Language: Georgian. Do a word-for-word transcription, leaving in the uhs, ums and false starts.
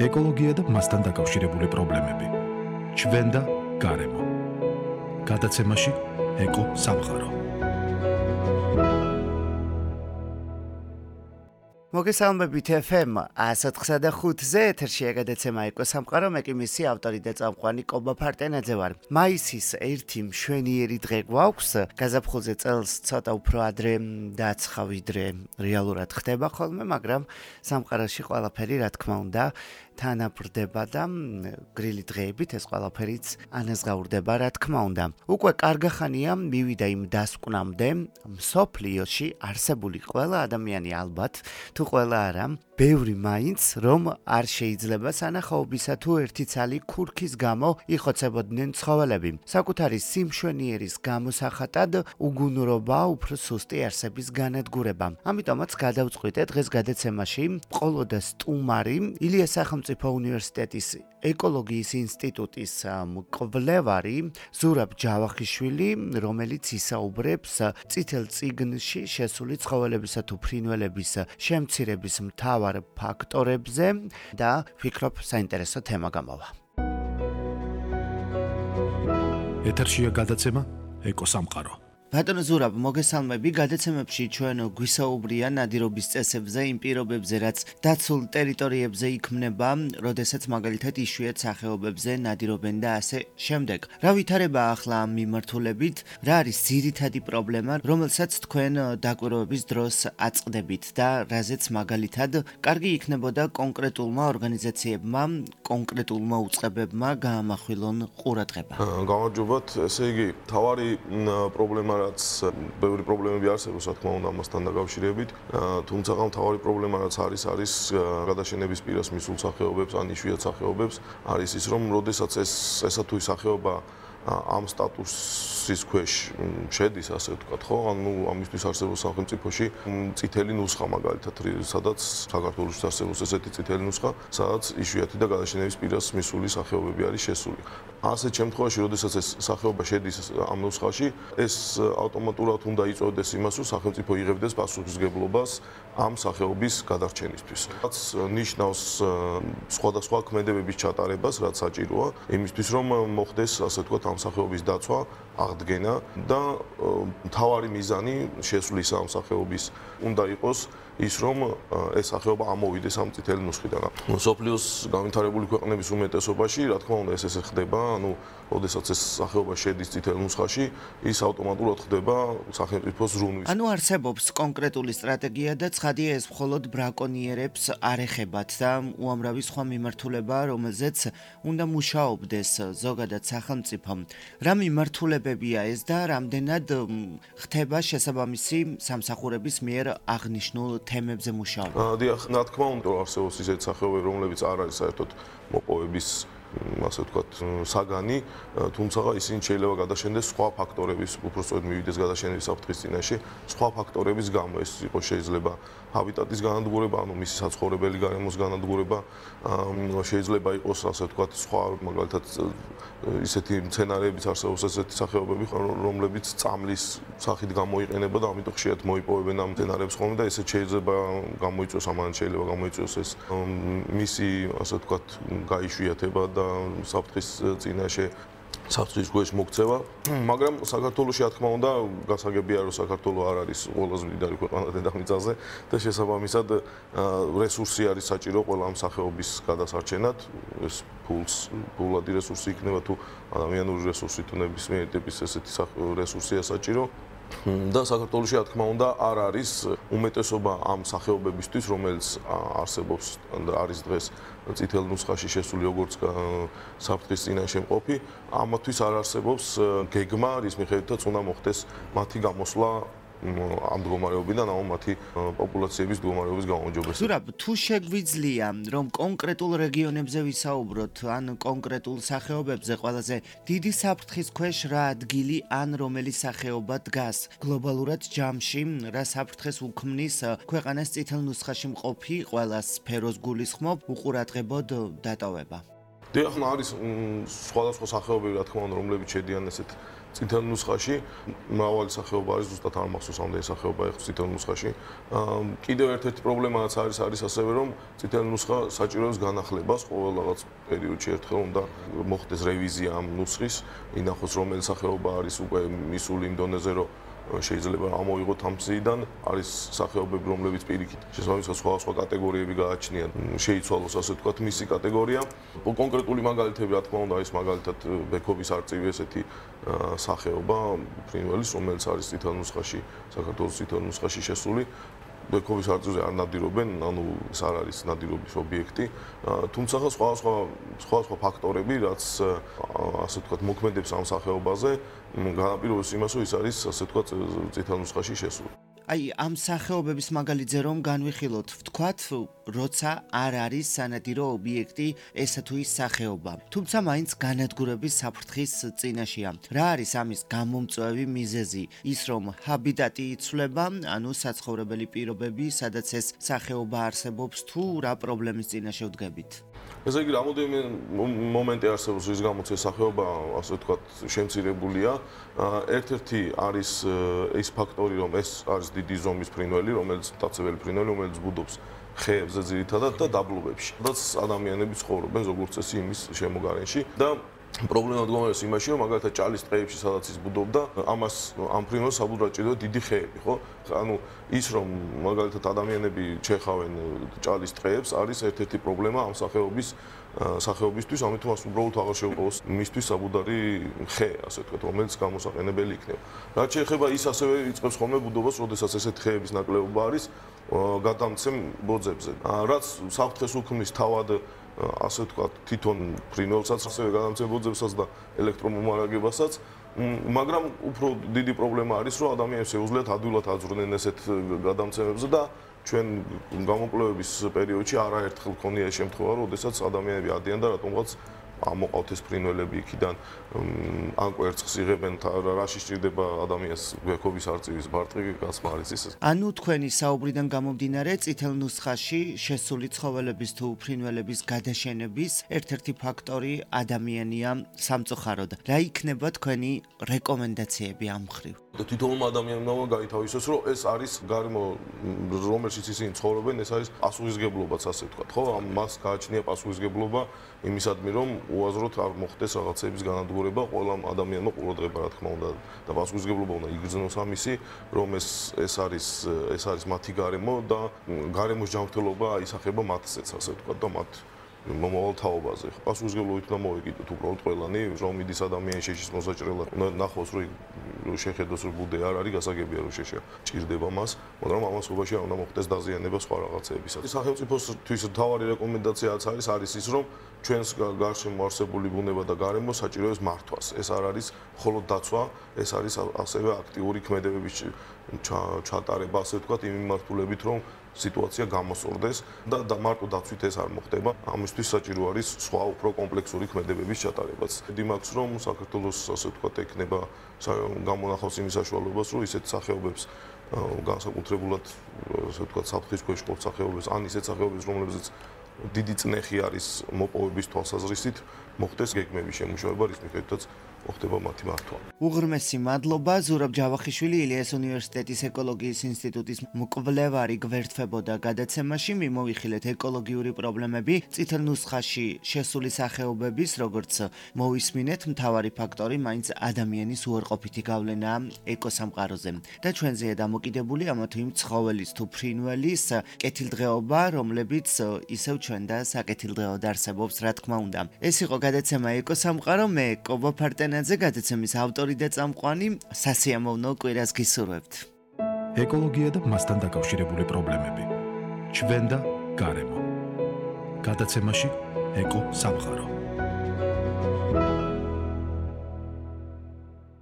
ეკოლოგია და მასთან დაკავშირებული პრობლემები. ჩვენ და გარემო. გადაცემაში ეკო სამყარო. მოგესალმებით ეფ ემ ათოთხმეტ და ხუთზე ეთერშია გადაცემა ეკო სამყარო, მე კი მისი ავტორი და წამყვანი კობა ფარტენაძე ვარ. მაისის ერთი მშვენიერი დღე გვაქვს, გაზაფხულზე წელს ცოტა უფრო ადრე დააცხა ვიდრე რეალურად ხდება ხოლმე, მაგრამ სამყაროში ყველაფერი რა თქმა უნდა თანაბრდება და გრილი დღეებით ეს ყველაფერიც ანაზღაურდება რა თქმა უნდა. უკვე კარგახანია მივიდა იმ დასკვნამდე, მსოფლიოში არსებული ყველა ადამიანი ალბათ თუ ყველა არა, ბევრი მაინც რომ არ შეიძლება სანახაობისა თუ ერთი ცალი ქურქის გამო იხოცებოდნენ ცხოველები. საკუთარი სიმშვენიერის გამოსახატად უგუნურობა უფრო სუსტი არსების განადგურება. ამიტომაც გადავწყვიტე დღეს გადაცემაში მხოლოდ სტუმარი ილიას სახელმწიფო უნივერსიტეტის ეკოლოგიის ინსტიტუტის მკვლევარი ზურაბ ჯავახიშვილი, რომელიც ისაუბრებს წითელ წიგნში შესული ცხოველებისა თუ ფრინველების შემცირების მთავარ ფაქტორებზე და ვფიქრობ საინტერესო თემა გამოვა. ეთერშია გადაცემა ეკო სამყარო. ბატონო ზურაბ, მოგესალმები. გადაცემებში ჩვენ გვისაუბრია ნადირობის წესებზე, იმ პირობებზე, რაც დაცულ ტერიტორიებზე იქმნება, როდესაც მაგალითად იშვიათ სახეობებზე ნადირობენ და ასე შემდეგ. რა ვითარება ახლა ამ მიმართულებით? რა არის ძირითადი პრობლემა, რომელსაც თქვენ დაკვირვების დროს აწყდებით და რაზეც მაგალითად კარგი იქნებოდა კონკრეტულმა ორგანიზაციებმა, კონკრეტულმა უწყებებმა გაამახვილონ ყურადღება? გამარჯობათ, ესე იგი, თავარი პრობლემა რაც ბევრი პრობლემები არსებობს, რა თქმა უნდა, ამასთან დაკავშირებით. თუმცა მთავარი პრობლემა რაც არის, არის გადაშენების პირას მისულ სახეობებს, ან იშვიათ სახეობებს, არის ის, რომ როდესაც ეს ესა თუ ის სახეობა ამ სტატუსის ქვეშ შედის, ასე ვთქვათ, ხო? ანუ ამისთვის არსებობს სახელმწიფოში წითელი ნუსხა მაგალითად, სადაც საქართველოში არსებობს ესეთი წითელი ნუსხა, სადაც იშვიათი და გადაშენების პირას მისული სახეობები არის შესული. ასეთ შემთხვევაში, როდესაც ეს სახეობა შედის ამ ნუსხაში, ეს ავტომატურად უნდა იწვევდეს იმას, რომ სახელმწიფო იღებდეს პასუხისმგებლობას ამ სახეობის გადარჩენისთვის. რაც ნიშნავს სხვადასხვა ქმედებების ჩატარებას, რაც საჭიროა, იმისთვის, რომ მოხდეს, ასე ვთქვათ, ამ სახეობის დაცვა, აღდგენა და მთავარი მიზანი შესulis ამ სახეობის უნდა იყოს ის, რომ ეს სახეობა ამოვიდეს ამ წითელი ნუსხიდან. მსოფლიოს განვითარებული ქვეყნების უმეტესობაში, რა თქმა უნდა, ეს ესე ხდება, ანუ როდესაც ეს სახეობა შედის წითელ ნუსხაში, ის ავტომატურად ხდება სახელმწიფოს ზრუნვის. ანუ არსებობს კონკრეტული სტრატეგია და ცხადია ეს მხოლოდ ბრაკონიერებს არ ეხებათ და უამრავი სხვა მიმართულება, რომელზეც უნდა მუშაობდეს ზოგადად სახელმწიფო. რა მიმართულებებია ეს და რამდენად ხდება შესაბამისი სამსახურების მიერ აღნიშნულ თემებზე მუშაობა? დიახ, რა თქმა უნდა, არსებობს ისეთი სახეობები, რომლებიც არ არის საერთოდ მოპოვების ასე ვთქვათ, საგანი, თუმცა ისინი შეიძლება გადაშენდეს სხვა ფაქტორების, უпростоოდ მივიდეს გადაშენების საფრთხის წინაშე, სხვა ფაქტორების გამო. ეს იყოს შეიძლება ჰაბიტატის განადგურება, ანუ მისი საცხოვრებელი გარემოს განადგურება, შეიძლება იყოს ასე ვთქვათ, სხვა მაგალითად ისეთი მცენარეებიც არსებობს, ესეთი სახეობები, რომლებიც წამლის სახით გამოიყენება და ამიტომ ხშირად მოიპოვებენ ამ მცენარეებს ხოლმე და ესეც შეიძლება გამოიწვიოს, ამან შეიძლება გამოიწვიოს ეს მისი ასე ვთქვათ, გაიშვიათება და საფრთხის წინაშე საფრთხის ქვეშ მოქცევა, მაგრამ საქართველოში, რა თქმა უნდა, გასაგებია, რომ საქართველო არ არის ყველაზე მდიდარი ქვეყანა დედამიწაზე და შესაბამისად რესურსი არის საჭირო ყველა ამ სახეობის გადასარჩენად. ეს ფულს, ფულადი რესურსი იქნება თუ ადამიანური რესურსი თუ ნებისმიერი ტიპის ესეთი რესურსია საჭირო. და საქართველოში, რა თქმა უნდა, არ არის უმეტესობა ამ სახეობებისთვის, რომელიც არსებობს და არის დღეს წითელ ნუსხაში შესული როგორც საფრთხის წინაშე მყოფი, ამათვის არ არსებობს გეგმა, რის მიხედვითაც უნდა მოხდეს მათი გამოსვლა ამ მდგომარეობიდან, ანუ მათი პოპულაციების მდგომარეობის გაუმჯობესება. ზურაბ, თუ შეგვიძლია, რომ კონკრეტულ რეგიონებზე ვისაუბროთ, ან კონკრეტულ სახეობებზე, ყველაზე დიდი საფრთხის ქვეშ რა ადგილი ან რომელი სახეობა დგას გლობალურად ჯამში, რა საფრთხეს უქმნის ქვეყანას წითელ ნუსხაში მყოფი ყველა სფეროს გულისხმობ უყურადღებოდ დატოვება? დიახ, არის სხვადასხვა სახეობები, რა თქმა უნდა, რომლებიც შედიან ესეთ წითელ ნუსხაში მრავალი სახეობა არის, ზუსტად არ მახსოვს ამდენი სახეობა ეხლა წითელ ნუსხაში. კიდევ ერთ-ერთი პრობლემაც არის არის ასევე რომ წითელ ნუსხა საჭიროებს განახლებას, ყოველ რაღაც პერიოდში ერთხელ უნდა მოხდეს რევიზია ამ ნუსხის, ინახოს რომელი სახეობა არის უკვე მისული იმ დონეზე, რომ შეიძლება ამოიღოთ ამ გზიდან, არის სახეობები, რომლებიც პირიქით შესაბამისად სხვა სხვა კატეგორიები გააჩნიათ, შეიცვალოს ასე ვთქვათ მისი კატეგორია. კონკრეტული მაგალითები, რა თქმა უნდა, ის მაგალითად ბექობის არწივი ესეთი სახეობა ფრინველის, რომელიც არის წითელ ნუსხაში, საქართველოს წითელ ნუსხაში შესული. ბექობის არწივზე არ ნადირობენ, ანუ ეს არ არის ნადირობის ობიექტი. თუმცა სხვა სხვა სხვა სხვა ფაქტორები, რაც ასე ვთქვათ, მოქმედებს ამ სახეობაზე, განაპირობებს იმას, რომ ის არის ასე ვთქვათ, წითელ ნუსხაში შესული. აი, ამ სახეობების მაგალითზე რომ განვიხილოთ, ვთქვათ, როცა არ არის სანადირო ობიექტი ესა თუ ის სახეობა. თუმცა მაინც განადგურების საფრთხის წინაშეა. რა არის ამის გამომწვევი მიზეზი? ის რომ ჰაბიტატი იცვლება, ანუ საცხოვრებელი პირობები, სადაც ეს სახეობა არსებობს, თუ რა პრობლემის წინაშე ვდგებით? ესე იგი, რამოდენიმე მომენტი არსებობს, რის გამოც ეს სახეობა, ასე ვთქვათ, შემცირებულია. ერთ-ერთი არის ის ფაქტორი, რომ ეს არის დიდი ზომის ფრინველი, რომელიც მტაცებელი ფრინველი, რომელიც ბუდობს ხეებზე ძირითადად და დაბლობებში. სადაც ადამიანები ცხოვრობენ ზოგადად წესი იმის შემოგარენში და პრობლემა დგომარეობს იმაში, რომ მაგალითად ჭალის ტყეებში, სადაც ის ბუდობდა, ამას ამ ფრინველს საბუდურად ჭირდება დიდი ხეები, ხო? ანუ ის რომ მაგალითად ადამიანები ჩეხავენ ჭალის ტყეებს, არის ერთ-ერთი პრობლემა ამ სახეობის სახეობისთვის, ამიტომ მას უბრალოდ აღარ შეუძლოს მისთვის საბუდარი ხე, ასე ვთქვათ, რომელიც გამოსაყენებელი იქნება. რაც შეეხება ის ასევე იწყებს ხოლმე ბუდობას, როდესაც ესეთ ხეების ნაკლებობა არის გადამცემ ბოძებზე. რაც საფრთხეს უქმნის თავად ასე ვთქვათ, თვითონ ფრინველსაც, ასევე გადამცემ-ბოძებსაც და ელექტრომომარაგებასაც, მაგრამ უფრო დიდი პრობლემა არის, რომ ადამიანებს შეუძლიათ ადვილად აძვრნენ ესეთ გადამცემებზე და ჩვენ გამოკვლევების პერიოდში არაერთხელ ქონია ეს შემთხვევა, როდესაც ადამიანები ადიან და რატომღაც ამოყავთ ეს ფრინველები იქიდან, ან კვერცხს იღებენ, რაში სჭირდება ადამიანს ბექობის არწივის ბარტყი, გასმა არის ის. ანუ თქვენი საუბრიდან გამომდინარე, წითელ ნუსხაში შესული ცხოველების თუ ფრინველების გადაშენების ერთ-ერთი ფაქტორი ადამიანია სამწუხაროდ. რა იქნება თქვენი რეკომენდაციები ამ მხრივ? თვითონ ადამიანმა გაითავისოს, რომ ეს არის გარემო, რომელშიც ისინი ცხოვრობენ, ეს არის პასუხისგებლობაც, ასე ვთქვათ, ხო? მას გააჩნია პასუხისგებლობა იმისადმი, რომ უაზროდ არ მოხდეს რაღაცების განადგურება ყველა ადამიანმა ყურადღება, რა თქმა უნდა, და პასუხისგებლობა უნდა იგრძნოს ამისი, რომ ეს ეს არის ეს არის მათი გარემო და გარემოს ჯანმრთელობა აისახება მათზეც, ასე ვთქვათ, და მათ მომავალ თაობაზე. პასუხისგებლობით უნდა მოვეკიდოთ უბრალოდ ყველანი, რომ მიდის ადამიანი შეშის მოსაჭრელად, უნდა ნახოს, რომ შეხედოს, რომ ბუდე არ არის, გასაგებია, რომ შეშა ჭირდება მას, მაგრამ ამასობაში არ უნდა მოხდეს დაზიანება სხვა რაღაცეებისას. სახელმწიფოსთვის მთავარი რეკომენდაციაც არის არის ის, რომ ჩვენს გარშემო არსებული ბუნება და გარემო საჭიროებს მართვას. ეს არ არის მხოლოდ დაცვა, ეს არის ასევე აქტიური ქმედებების ჩატარება, ასე ვთქვათ, იმ მიმართულებით, რომ სიტუაცია გამოსორდეს და და მარტო დაცვით ეს არ მოხდება. ამისთვის საჭირო არის სხვა უფრო კომპლექსური ქმედებების ჩატარებაც. დიმაქვს რომ საქართველოს ასე ვთქვათ ექნება გამონახავს იმის საშუალებას, რომ ისეთ სახეობებს განსაკუთრებულად ასე ვთქვათ საფრთხის ქვეშ მყოფ სახეობებს, ან ისეთ სახეობებს, რომლებზეც დიდი წნეხი არის მოპოვების თვალსაზრისით, მოხდეს გეგმების შემუშავება, რის მიხედვითაც მოხდება მათი მართვა. უღრმესი მადლობა. ზურაბ ჯავახიშვილი, ილიას უნივერსიტეტის ეკოლოგიის ინსტიტუტის მკვლევარი გვერდთვებოდა გადაცემაში. მიმოვიხილეთ ეკოლოგიური პრობლემები წითელ ნუსხაში შესული სახეობების, როგორც მოვისმინეთ, მთავარი ფაქტორი მაინც ადამიანის უარყოფითი გავლენაა ეკოსამყაროზე. და ჩვენზეა დამოკიდებული ამა თუ იმ ცხოველის თუ ფრინველის კეთილდღეობა, რომლებიც ისევ ჩვენ და საკეთილდღეოდ არსებობს, რა თქმა უნდა. ეს იყო გადაცემა ეკოსამყარო, მე კობა ფარტენაძე, გადაცემის ავტორი და წამყვანი. სასიამოვნო კვირას გისურვებთ. ეკოლოგია და მასთან დაკავშირებული პრობლემები. ჩვენ და გარემო. გადაცემაში ეკო სამყარო.